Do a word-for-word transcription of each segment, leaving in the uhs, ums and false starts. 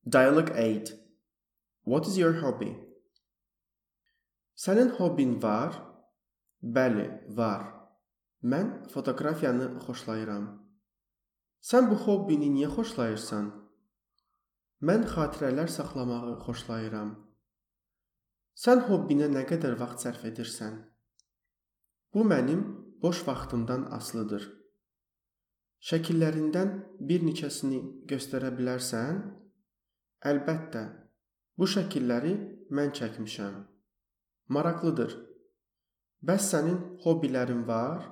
Dialogue eight. What is your hobby? Sənin hobbin var? Bəli, var. Mən fotoqrafiyanı xoşlayıram. Sən bu hobbini niyə xoşlayırsan? Mən xatirələr saxlamağı xoşlayıram. Sən hobbinə nə qədər vaxt sərf edirsən? Bu mənim boş vaxtımdan asılıdır. Şəkillərindən bir neçəsini göstərə bilərsən? Əlbəttə, bu şəkilləri mən çəkmişəm. Maraqlıdır. Bəs sənin hobbilərin var?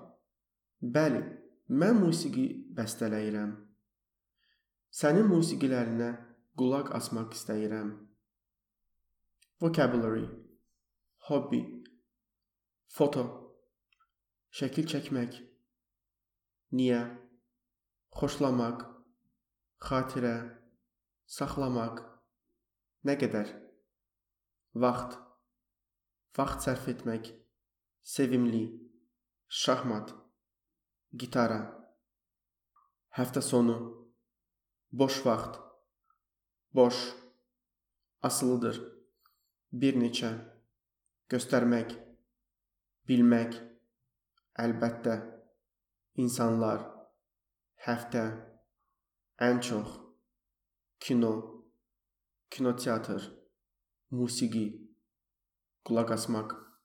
Bəli, mən musiqi bəstələyirəm. Sənin musiqilərinə qulaq asmaq istəyirəm. Vocabulary: hobby, foto, şəkil çəkmək, niyə, xoşlamaq, xatirə, saxlamaq, nə qədər, vaxt, vaxt sərf etmək, sevimli, şahmat, gitara, həftə sonu, boş vaxt, boş, asılıdır, bir neçə, göstərmək, bilmək, əlbəttə, insanlar, həftə, ən çox, kino, kinoteatr, musiqi, qulaq asmaq.